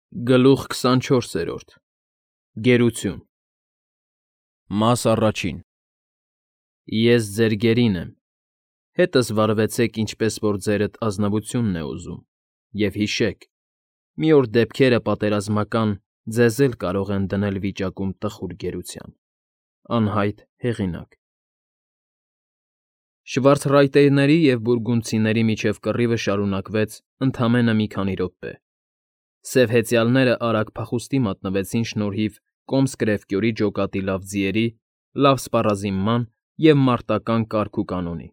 Գլուխ 24 Գերություն Մաս առաջին Ես ձեր գերին եմ, հետս վարվեցեք, ինչպես որ ձերդ ազնվությունն է ուզում, և հիշեք, մի օր դեպքերը պատերազմական ձեզ էլ կարող են դնել վիճակում տխուր գերության, անհայտ հեղինակ։ Շվարցրայտերների և բուրգունդցիների միջև կռիվը շարունակվեց ընդամենը մի քանի րոպե։ Սև հեծյալները արագ փախուստի մատնվեցին շնորհիվ Կոմս֊Կրևկյորի ջոկատի լավ ձիերի, լավ սպառազինման և մարտական կարգ ու կանոնի։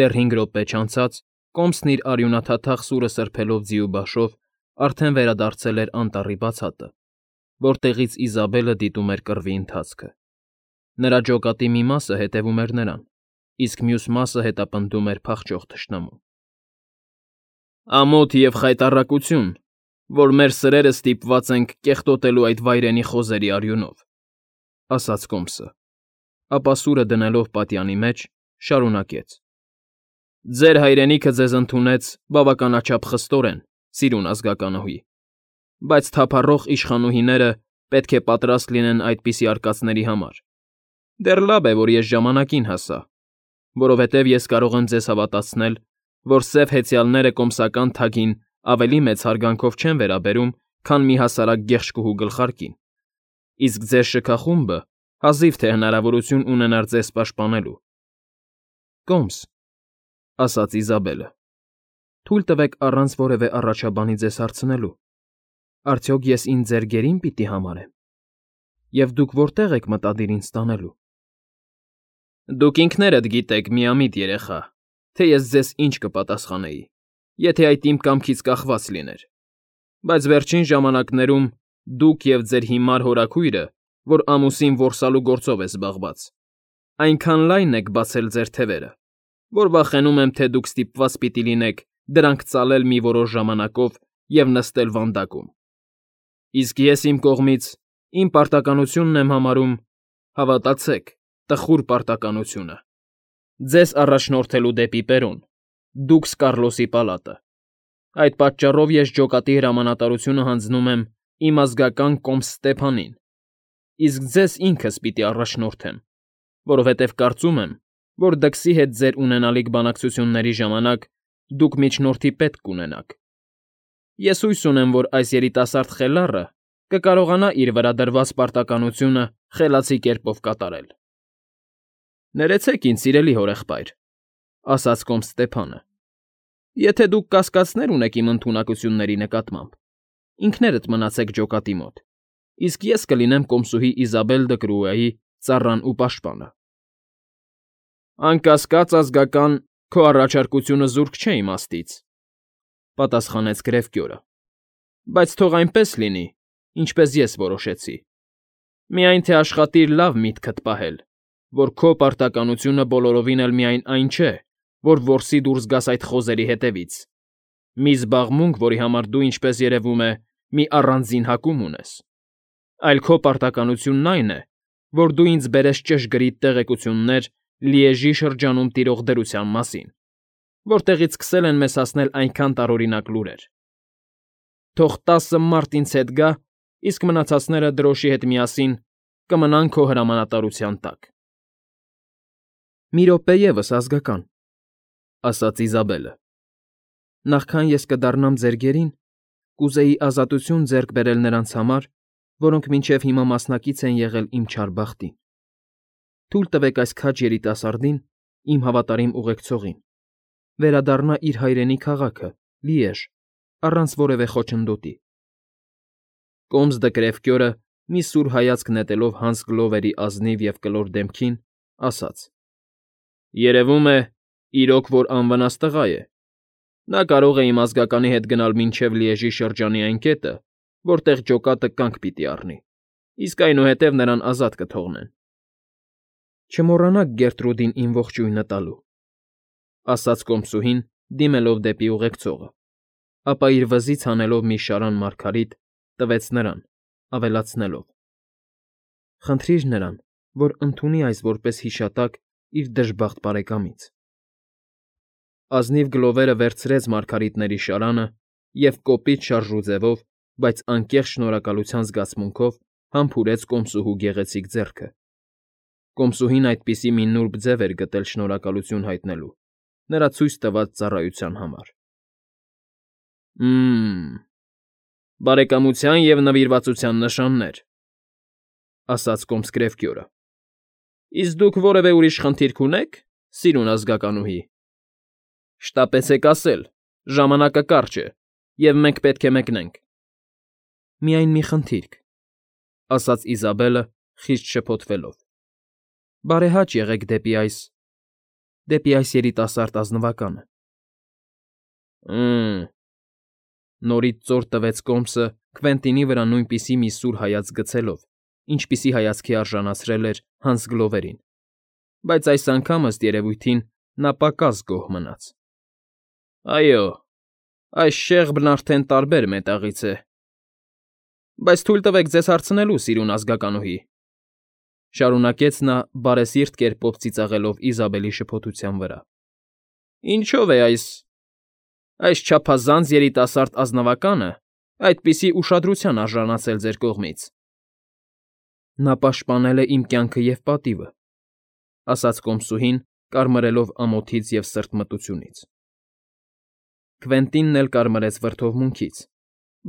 Դեռ 5 րոպե չանցած Կոմսն իր արյունաթաթախ սուրը սրբելով ձիու բաշով արդեն վերադարձել էր անտառի բացատը, որտեղից Իզաբելը դիտում էր կռվի ընթացքը։ Նրա ջոկատի մի մասը հետևում էր նրան, իսկ մյուս մասը հետապնդում էր փախչող թշնամուն։ Ամոթ և խայտառակություն, որ մեր սրերը ստիպված ենք կեղտոտելու այդ վայրենի խոզերի արյունով, ֊ ասաց Կոմսը, ապա սուրը դնելով պատյանի մեջ, շարունակեց. Ձեր հայրենիքը ձեզ ընդունեց բավականաչափ խստորեն, սիրուն ազգականուհի, բայց թափառող իշխանուհիները պետք է պատրաստ լինեն այդպիսի արկածների համար։ Դեռ լավ է, որ ես ժամանակին հասա, որովհետև ես կարող եմ ձեզ հավատացնել, որ սև հեծյալները կոմսական թագին ավելի մեծ հարգանքով չեն վերաբերում, քան մի հասարակ գեղշկուհու գլխարկին, իսկ ձեր շքախումբը հազիվ թե հնարավորություն ունենար ձեզ պաշտպանելու։ ֊ Կոմս, ֊ ասաց Իզաբելը, ֊ թույլ տվեք առանց որևէ առաջաբանի ձեզ հարցնելու. արդյոք ես ինձ ձեր գերին պիտի համարեմ, և դուք որտե՞ղ եք մտադիր ինձ տանելու։ Դուք ինքներդ գիտեք, միամիտ երեխա, թե ես ձեզ ինչ կպատասխանեի, եթե այդ իմ կամքից կախված լիներ, բայց վերջին ժամանակներում դուք և ձեր հիմար հորաքույրը, որ ամուսին որսալու գործով է զբաղված, այնքան լայն եք բացել ձեր թևերը, որ վախենում եմ, թե դուք ստիպված պիտի լինեք դրանք ծալել մի որոշ ժամանակով և նստել վանդակում։ Իսկ ես իմ կողմից իմ պարտականությունն եմ համարում, հավատացեք, տխուր պարտականությունը, ձեզ առաջնորդելու դեպի Պերոն, դուքս Կառլոսի պալատը։ Այդ պատճառով ես ջոկատի հրամանատարությունը հանձնում եմ իմ ազգական Կոմս Ստեփանին, իսկ ձեզ ինքս պիտի առաջնորդեմ, որովհետև կարծում եմ, որ դքսի հետ ձեր ունենալիք բանակցությունների ժամանակ դուք միջնորդի պետք կունենաք։ Ես հույս ունեմ, որ այս երիտասարդ խելառը կկարողանա իր վրա դրված պարտականությունը խելացի կերպով կատարել։ Ներեցեք ինձ, սիրելի հորեղբայր, ֊ ասաց Կոմս Ստեփանը, ֊ եթե դուք կասկածներ ունեք իմ ընդունակությունների նկատմամբ, ինքներդ մնացեք ջոկատի մոտ, իսկ ես կլինեմ կոմսուհի Իզաբել Դկրուայի ծառան ու պաշտպանը։ Անկասկած, ազգական, քո առաջարկությունը զուրկ չէ իմաստից, ֊ պատասխանեց Գրևկյորը, բայց թող այնպես լինի, ինչպես ես որոշեցի։ Միայն թե աշխատիր լավ միտքդ պահել, որ քո պարտականությունը բոլորովին էլ միայն այն չէ, որ որսի դուրս գաս այդ խոզերի հետևից, մի զբաղմունք, որի համար դու, ինչպես երևում է, մի առանձին հակում ունես, այլ քո պարտականությունն այն է, որ դու ինձ բերես ճշգրիտ տեղեկություններ Լիեժի շրջանում տիրող դրության մասին, որտեղից սկսել են մեզ հասնել այնքան տարօրինակ լուրեր։ Թող 10 մարդ ինձ հետ գա, իսկ մնացածները դրոշի հետ միասին կմնան քո հրամանատարության տակ։ Մի րոպե ևս, ազգական, ֊ ասաց Իզաբելը, ֊ նախքան ես կդառնամ ձեր գերին, կուզեի ազատություն ձեռք բերել նրանց համար, որոնք մինչև հիմա մասնակից են եղել իմ չար բախտին։ Թույլ տվեք այս քաջ երիտասարդին, իմ հավատարիմ ուղեկցողին, վերադառնա իր հայրենի քաղաքը՝ Լիեժ, առանց որևէ խոչընդոտի։ Կոմս Դկրևկյորը, մի սուր հայացք նետելով Հանս Գլովերի ազնիվ և կլոր դեմքին, ասաց. Երևում է, իրոք որ անվնաս տղա է։ Նա կարող է իմ ազգականի հետ գնալ մինչև Լիեժի շրջանի այն կետը, որտեղ ջոկատը կանգ պիտի առնի, իսկ այնուհետև նրան ազատ կթողնեն։ Չմոռանաք Գերտրուդին իմ ողջույնը տալու, ֊ ասաց կոմսուհին, դիմելով դեպի ուղեկցողը, ապա իր վզից հանելով մի շարան մարգարիտ, տվեց նրան, ավելացնելով. Խնդրիր նրան, որ ընդունի այս որպես հիշատակ իր դժբախտ բարեկամից։ Ազնիվ Գլովերը վերցրեց մարգարիտների շարանը և կոպիտ շարժու ձևով բայց անկեղծ շնորհակալության զգացմունքով համբուրեց կոմսուհու գեղեցիկ ձեռքը։ Կոմսուհին այդպիսի մի նուրբ ձև էր գտել շնորհակալություն հայտնելու նրա ցույց տված ծառայության համար։ Բարեկամության և նվիրվածության նշաններ, ասաց կոմս Գրեֆկյորը։ Իսկ դուք որևէ ուրիշ խնդիր կունե՞ք, սիրուն ազգականուհի։ Շտապեցեք ասել, ժամանակը կարճ է, և մենք պետք է մեկնենք։ Միայն մի խնդիր կա, ասաց Իզաբելը, խիստ շփոթվելով։ Բարեհաճ եղեք դեպի այս երիտասարդ ազնվականը։ Նորից ծոր տվեց կոմսը Քվենտինի վրա նույնպիսի մի սուր հայացք գցելով, ինչպիսի հայացքի արժանացրել էր Հանս Գլովերին, բայց այս անգամ, ըստ երևույթին, նա պակաս գոհ մնաց։ Այո, այս շեղբն արդեն տարբեր մետաղից է։ Բայց թույլ տվեք ձեզ հարցնելու, սիրուն ազգականուհի, շարունակեց նա բարեսիրտ կերպով ծիծաղելով Իզաբելի շփոթության վրա։ Ինչո՞վ է այս չափազանց երիտասարդ ազնվականը այդպիսի ուշադրության արժանացել ձեր կողմից։ Նա պաշտպանել է իմ կյանքը և պատիվը, ասաց կոմսուհին, կարմրելով ամոթից և սրտմտությունից։ Քվենտինն էլ կարմրեց վրդովմունքից,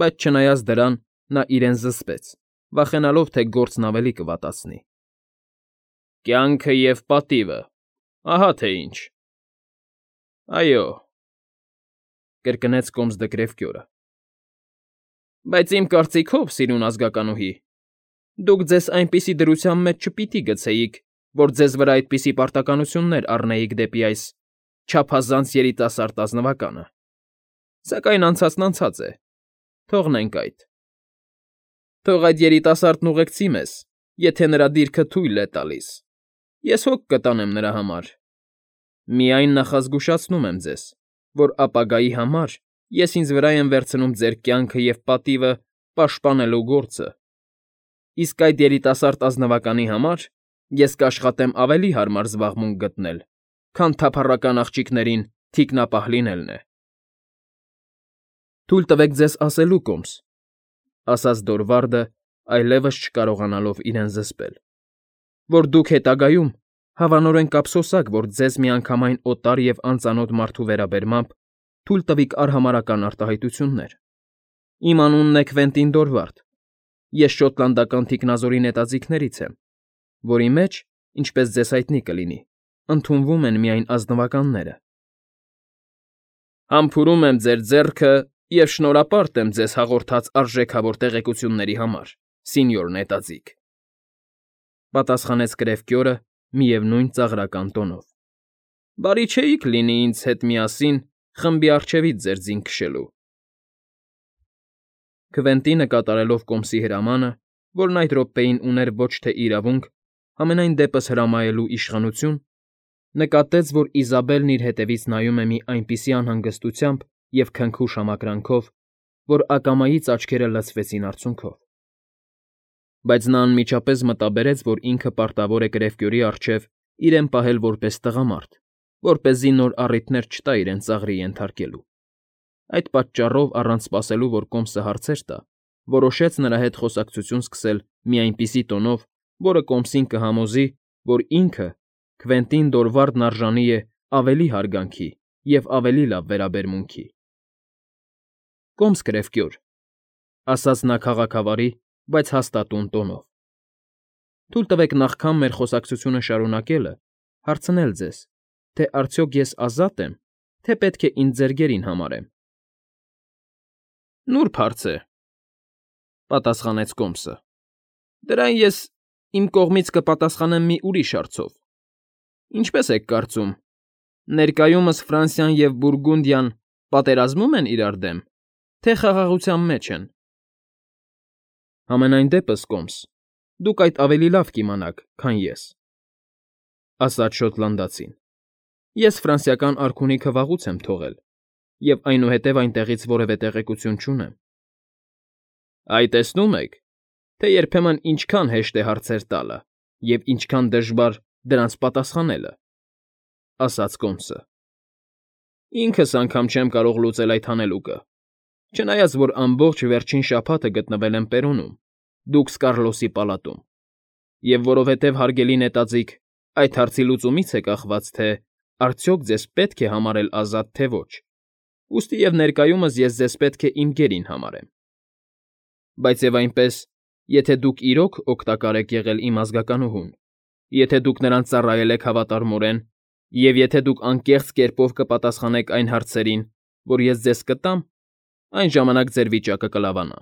բայց չնայած դրան նա իրեն զսպեց, վախենալով, թե գործն ավելի կվատացնի։ Կյանքը և պատիվը, ահա թե ինչ։ Այո, կրկնեց կոմս դը Գրեֆկյորը։ Բայց իմ կարծիքով, սիրուն ազգականուհի, դուք ձեզ այնպիսի դրության մեջ չպիտի գցեիք, որ ձեզ վրա այդպիսի պարտականություններ առնեիք դեպի այս չափազանց երիտասարդ ազնվականը։ Սակայն անցածն անցած է, թողնենք այդ։ Թող այդ երիտասարդն ուղեկցի մեզ, եթե նրա դիրքը թույլ է տալիս։ Ես հոգ կտանեմ նրա համար։ Միայն նախազգուշացնում եմ ձեզ, որ ապագայի համար ես ինձ վրա եմ վերցնում ձեր կյանքը և պատիվը պաշտպանելու գործը, իսկ այդ երիտասարդ ազնվականի համար ես կաշխատեմ ավելի հարմար զբաղմունք գտնել, քան թափառական աղջիկներին թիկնապահ լինելն է։ Թույլ տվեք ձեզ ասելու, կոմս, ասաց Դորվարդը, այլևս չկարողանալով իրեն զսպել, որ դուք հետագայում հավանորեն կափսոսաք, որ ձեզ միանգամայն օտար և անծանոթ մարդու վերաբերմամբ թույլ տվիք արհամարհական արտահայտություններ։ Իմ անունն է Քվենտին Դորվարդ, ես շոտլանդական թիկնազորի նետաձիգներից եմ, որի մեջ, ինչպես ձեզ հայտնի կլինի, ընդունվում են միայն ազնվականները։ Համբուրում եմ ձեր ձեռքը և շնորհապարտ եմ ձեզ հաղորդած արժեքավոր տեղեկությունների համար, սինյոր նետաձիգ, պատասխանեց Գրեֆկյորը միևնույն ծաղրական տոնով։ Բարի չէիք լինի ինձ հետ միասին խմբի առջևից ձեր ձին քշելու։ Քվենտինը կատարելով կոմսի հրամանը, որն այդ րոպեին ուներ ոչ թե իրավունք, համենայն դեպս հրամայելու իշխանություն, նկատեց, որ Իզաբելն իր հետևից նայում է մի այնպիսի անհանգստությամբ և քնքուշ համակրանքով, որ ակամայից աչքերը լցվեցին արցունքով։ Բայց նա անմիջապես մտաբերեց, որ ինքը պարտավոր է Գրեֆկյորի առջև իրեն պահել որպես տղամարդ, որպեսզի նոր առիթներ չտա իրեն ծաղրի ենթարկելու։ Այդ պատճառով, առանց սպասելու, որ կոմսը հարցեր տա, որոշեց նրա հետ խոսակցություն սկսել մի այնպիսի տոնով, որը կոմսին կհամոզի, որ ինքը, Քվենտին Դորվարդն արժանի է ավելի հարգանքի և ավելի լավ վերաբերմունքի։ Կոմս Գրեֆկյոր, ասաց նա քաղաքավարի, բայց հաստատուն տոնով։ Թույլ տվեք նախքան մեր խոսակցությունը շարունակելը հարցնել ձեզ, թե արդյոք ես ազատ եմ, թե պետք է ինձ ձերգերին համարեմ։ Նուրբ հարց է, պատասխանեց կոմսը։ Դրան ես իմ կողմից կպատասխանեմ մի ուրիշ հարցով։ Ինչպես եք կարծում, ներկայումս Ֆրանսիան և Բուրգունդիան պատերազմում են իրար դեմ, թե խաղաղության մեջ են։ Համենայն դեպս, կոմս, դուք այդ ավելի լավ կիմանաք, քան ես, ասաց շոտլանդացին։ Ես ֆրանսիական արքունիքը վաղուց եմ թողել և այնուհետև այնտեղից որևէ տեղեկություն չունեմ։ Այ տեսնում եք, թե երբեմն ինչքան հեշտ է հարցեր տալը և ինչքան դժվար դրանց պատասխանելը, ասաց կոմսը։ Ինքս անգամ չեմ կարող լուծել այդ հանելուկը, Չնայած որ ամբողջ վերջին շաբաթը գտնվել եմ Պերոնում, դուքս Կառլոսի պալատում, և որովհետև, հարգելի նետաձիգ, այդ հարցի լուծումից է կախված, թե արդյոք ձեզ պետք է համարել ազատ, թե ոչ, ուստի և ներկայումս ես ձեզ պետք է իմ գերին համարեմ։ Բայց և այնպես, եթե դուք իրոք օգտակար եք եղել իմ ազգականուհուն, եթե դուք նրան ծառայել եք հավատարմորեն, և եթե դուք անկեղծ կերպով կպատասխանեք այն հարցերին, որ ես ձեզ կտամ, այն ժամանակ ձեր վիճակը կլավանա։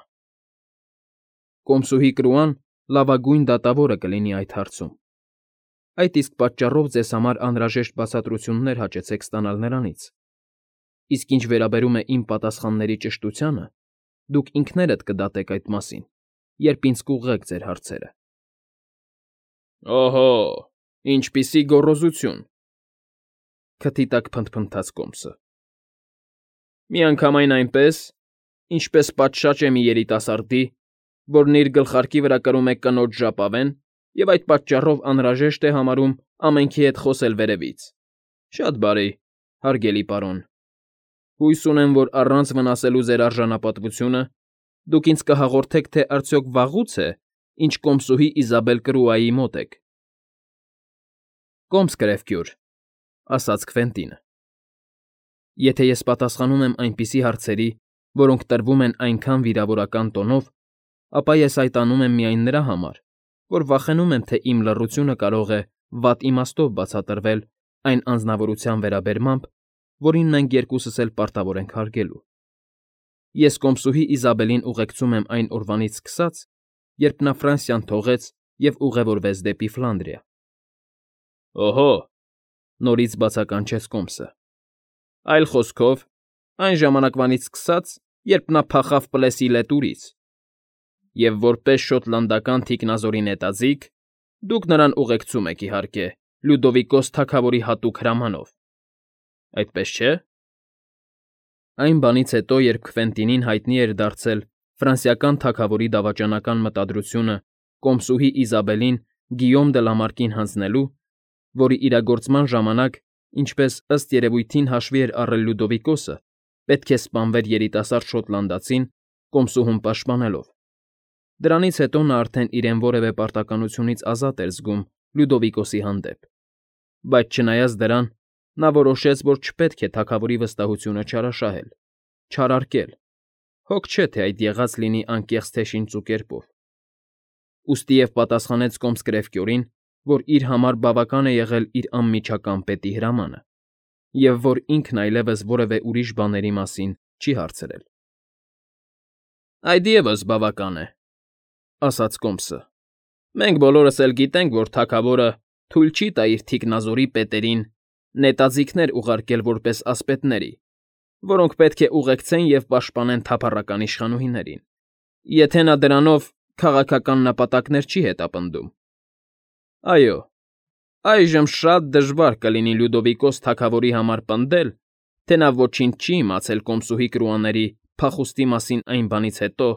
Կոմսուհի Կրուան լավագույն դատավորը կլինի այդ հարցում։ Այդ իսկ պատճառով ձեզ համար անհրաժեշտ բացատրություններ հաճեցեք ստանալ նրանից, իսկ ինչ վերաբերում է իմ պատասխանների ճշտությանը, դուք ինքներդ կդատեք այդ մասին, երբ ինձ կուղղեք ձեր հարցերը։ Օհո, ինչպիսի գոռոզություն,֊ քթի տակ փնթփնթաց Կոմսը։ Միանգամայն այնպես, ինչպես պատշաճ է մի երիտասարդի, որն իր գլխարկի վրա կրում է կնոջ ժապավեն և այդ պատճառով անհրաժեշտ է համարում ամենքի հետ խոսել վերևից։ Շատ բարի, հարգելի պարոն, հույս ունեմ, որ առանց վնասելու ձեր արժանապատվությունը, դուք ինձ կհաղորդեք, թե արդյոք վաղուց է, ինչ կոմսուհի Իզաբել Կրուայի մոտ եք։ Կոմս կրևկյուր,֊ ասաց Քվենտինը։ Եթե ես պատասխանում եմ այնպիսի հարցերի, որոնք տրվում են այնքան վիրավորական տոնով, ապա ես այդ անում եմ միայն նրա համար, որ վախենում եմ, թե իմ լռությունը կարող է վատ իմաստով բացատրվել այն անձնավորության վերաբերմամբ, որին մենք երկուսս էլ պարտավոր ենք հարգելու։ Ես կոմսուհի Իզաբելին ուղեկցում եմ այն օրվանից սկսած, երբ նա Ֆրանսիան թողեց և ուղևորվեց դեպի Ֆլանդրիա։ Օհո,֊ նորից բացականչեց Կոմսը,֊ այլ խոսքով, այն ժամանակվանից սկսած, երբ նա փախավ Պլեսիլետուրից, և որպես շոտլանդական թիկնազորի նետաձիգ, դուք նրան ուղեկցում եք, իհարկե, Լյուդովիկոս թագավորի հատուկ հրամանով, այդպես չէ՞։ Այն բանից հետո, երբ Քվենտինին հայտնի էր դարձել ֆրանսիական թագավորի դավաճանական մտադրությունը կոմսուհի Իզաբելին Գիյոմ դը Լամարկին հանձնելու, որի իրագործման ժամանակ, ինչպես ըստ երևույթին հաշվի էր առել Լյուդովիկոսը, պետք է սպանվեր երիտասարդ շոտլանդացին, կոմսուհուն պաշտպանելով։ Դրանից հետո նա արդեն իրեն որևէ պարտականությունից ազատ էր զգում Լյուդովիկոսի հանդեպ, բայց չնայած դրան, նա որոշեց, որ չպետք է թագավորի վստահությունը չարաշահել, չարարկել, հոգ չէ, թե այդ եղած լինի անկեղծ թե շինծու կերպով։ Ուստի և պատասխանեց Կոմս կրևկյորին, որ իր համար բավական է եղել իր անմիջական պետի հրամանը, և որ ինքն այլևս որևէ ուրիշ բաների մասին չի հարցրել։ Այդ ևս բավական է,֊ ասաց Կոմսը։ Մենք բոլորս էլ գիտենք, որ թագավորը թույլ չի տա իր թիկնազորի պետերին նետաձիգներ ուղարկել որպես ասպետների, որոնք պետք է ուղեկցեն և պաշտպանեն թափառական իշխանուհիներին, եթե նա դրանով քաղաքական նպատակներ չի հետապնդում։ Այո, այժմ շատ դժվար կլինի Լյուդովիկոս թագավորի համար պնդել, թե նա ոչինչ չի իմացել կոմսուհի Կրուաների փախուստի մասին այն բանից հետո,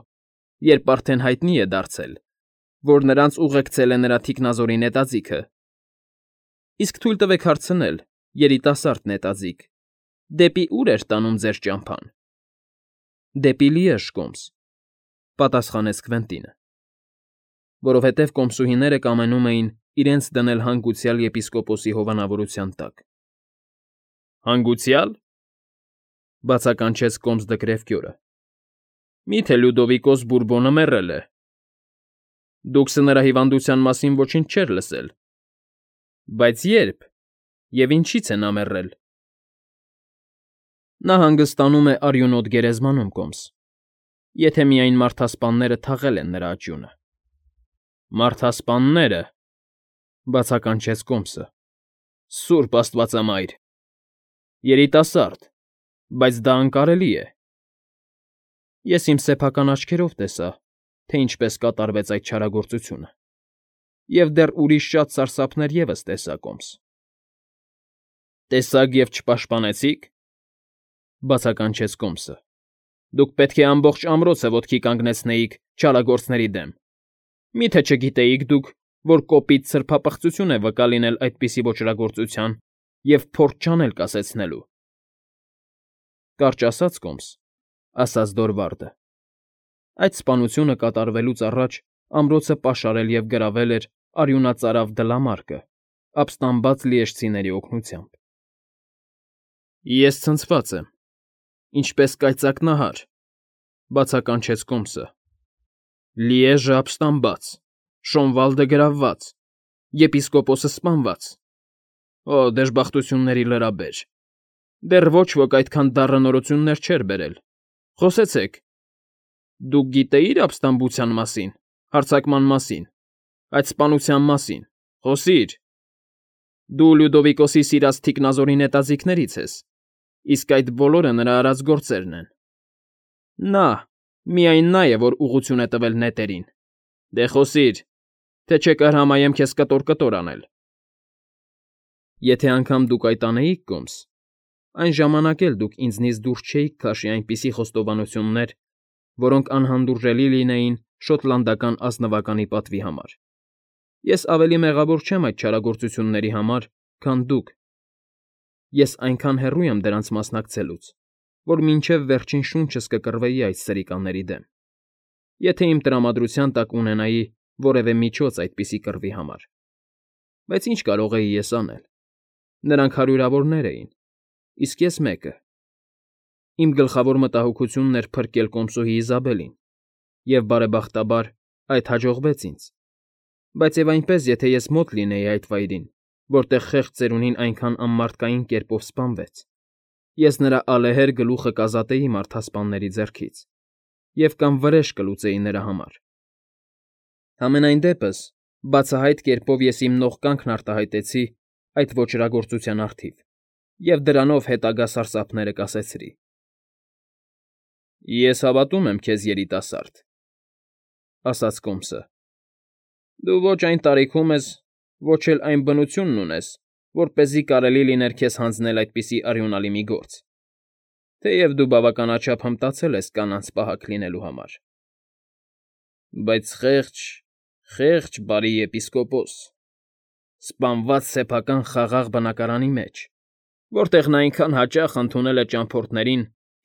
երբ արդեն հայտնի է դարձել, որ նրանց ուղեկցել է նրա թիկնազորի նետաձիգը։ Իսկ թույլ տվեք հարցնել, երիտասարդ նետաձիգ, դեպի ուր էր տանում ձեր ճամփան։ Դեպի Լիեժ, Կոմս,֊ պատասխանեց Քվենտինը։ Որովհետև կոմսուհիները կամենում էին իրենց դնել հանգուցյալ եպիսկոպոսի հովանավորության տակ։ Հանգուցյալ,֊ բացականչեց Կոմս դը Կրևկյորը։ Մի՞թե Լյուդովիկոս Բուրբոնը մեռել է։ Դուքս նրա հիվանդության մասին ոչինչ չէր լսել։ Բայց ե՞րբ և ինչի՞ց է նա մեռել։ Նա հանգստանում է արյունոտ գերեզմանում, Կոմս, եթե միայն մարդասպանները թաղել են նրա աճյունը։ Մարդասպաննե՞րը,֊ բացականչեց Կոմսը։ Սուրբ աստվածամայր… Երիտասարդ, բայց դա անկարելի է։ Ես իմ սեփական աչքերով տեսա, թե ինչպես կատարվեց այդ չարագործությունը, և դեռ ուրիշ շատ սարսափներ ևս տեսա, Կոմս։ Տեսաք և չպաշտպանեցի՞ք,֊ բացականչեց Կոմսը։ Դուք պետք է ամբողջ ամրոցը ոտքի կանգնեցնեիք չարագործների դեմ։ Մի՞թե չգիտեիք դուք, որ կոպիտ սրբապղծություն է վկա լինել այդպիսի ոճրագործության և փորձ չանել կասեցնելու։ Կարճ ասած, Կոմս, ասաց Դորվարդը։ Այդ սպանությունը կատարվելուց առաջ ամրոցը պաշարել և գրավել էր արյունածարավ դլամարկը, ապստամբած լիեշցիների օգնությամբ։ Ես ցնցված եմ, ինչպես կայծակնահար, բացականչեց Կոմսը։ Լիեժը ապստամբած, Շոնվալդը գրավված, եպիսկոպոսը սպանված։ Օ, դժբախտությունների լրաբեր։ Դեռ ոչ ոք այդքան դառը նորություններ չէր բերել։ Խոսեցեք։ Դուք գիտեի՞ր ապստամբության մասին, հարձակման մասին, այդ սպանության մասին։ Խոսիր։ Դու Լյուդովիկոսի սիրած թիկնազորի նետաձիգներից ես, իսկ այդ բոլորը նրա արած գործերն են։ Նա, միայն նա է, որ ուղղություն է տվել նետերին։ Դե խոսիր, թե չէ կհրամայեմ քեզ կտոր անել։ Եթե անգամ դուք այդ անեիք, Կոմս, այն ժամանակ էլ դուք ինձնից դուրս չէիք քաշի այնպիսի խոստովանություններ, որոնք անհանդուրժելի լինեին շոտլանդական ազնվականի պատվի համար։ Ես ավելի մեղավոր չեմ այդ չարագործությունների համար, քան դուք։ Ես այնքան հեռու եմ դրանց մասնակցելուց, որ մինչև վերջին շունչս կկռվեի այդ սրիկաների դեմ, եթե իմ տրամադրության տակ ունենայի որևէ միջոց այդպիսի կռվի համար։ Բայց ինչ կարող էի ես անել։ Նրանք հարյուրավորներ էին, իսկ ես մեկը։ Իմ գլխավոր մտահոգությունն էր փրկել կոմսոհի Իզաբելին, և բարեբախտաբար այդ հաջողվեց ինձ։ Բայց և այնպես, եթե ես մոտ լինեի այդ վայրին, որտեղ խեղճ ծերունին այնքան անմարդկային կերպով սպանվեց, ես նրա ալեհեր գլուխը կազատեի մարդասպանների ձեռքից և կամ վրեժ կլուծեի նրա համար։ Համենայն դեպս, բացահայտ կերպով ես իմ նողկանքն արտահայտեցի այդ ոճրագործության առթիվ և դրանով հետագա սարսափները կասեցրի։ Ես հավատում եմ քեզ, երիտասարդ, ասաց Կոմսը։ Դու ոչ այն տարիքում ես, ոչ էլ այն բնությունն ունես, որպեսզի կարելի լիներ քեզ հանձնել այդպիսի արյունալի մի գործ, թեև դու բավականաչափ հմտացել ես կանանց պահակ լինելու համար։ Բայց խեղճ բարի եպիսկոպոս, սպանված սեփական խաղաղ բնակարանի մեջ, որտեղ նա այնքան հաճախ ընդունել է ճամփորդներին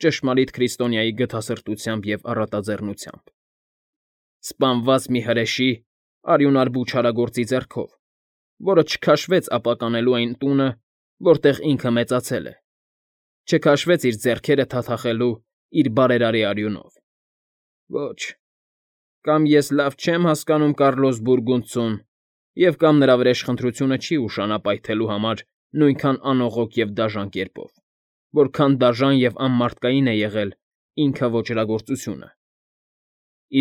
ճշմարիտ քրիստոնյայի գթասրտությամբ և առատաձեռնությամբ։ Սպանված մի հրեշի, արյունարբու չարագործի ձեռքով, որը չքաշվեց ապականելու այն տունը, որտեղ ինքը մեծացել է, չքաշվեց իր ձեռքերը թաթախելու իր բարերարի արյունով։ Ոչ, կամ ես լավ չեմ հասկանում Կառլոս Բուրգունդցուն, և կամ նրա վրեժխնդրությունը չի ուշանա պայթելու համար նույնքան անողոք և դաժան կերպով, որքան դաժան և անմարդկային է եղել ինքը ոճրագործությունը։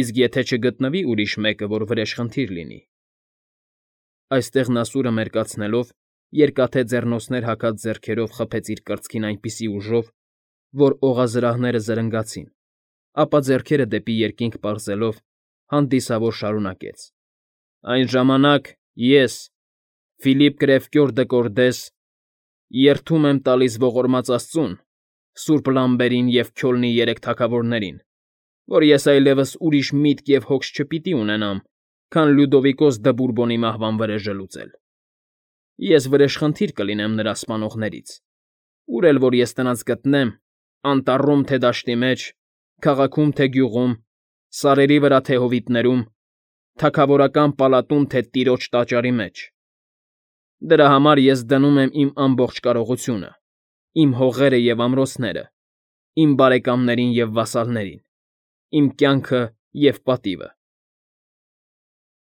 Իսկ եթե չգտնվի ուրիշ մեկը, որ վրեժխնդիր լինի։ Այստեղ նա սուրը մերկացնելով երկաթե ձեռնոցներ հագած ձեռքերով խփեց իր կրծքին այնպիսի ուժով, որ օղազրահները զրնգացին, ապա ձեռքերը դեպի երկինք պարզելով հանդիսավոր շարունակեց. Այն ժամանակ ես, Ֆիլիպ Կրևկյոր դը Կորդես, երդում եմ տալիս ողորմած Աստծուն, Սուրբ Լամբերին և Քյոլնի երեք թագավորներին, որ ես այլևս ուրիշ միտք և հոգս չպիտի ունենամ, քան Լյուդովիկոս դը Բուրբոնի մահվան վրեժը լուծել։ Ես վրեժխնդիր կլինեմ նրա սպանողներից, ուր էլ որ ես նրանց գտնեմ, անտառում թե դաշտի մեջ, քաղաքում թե գյուղում, սարերի վրա թե հովիտներում, թագավորական պալատում թե տիրոջ տաճարի մեջ։ Դրա համար ես դնում եմ իմ ամբողջ կարողությունը, իմ հողերը և ամրոցները, իմ բարեկամներին և վասալներին, իմ կյանքը և պատիվը։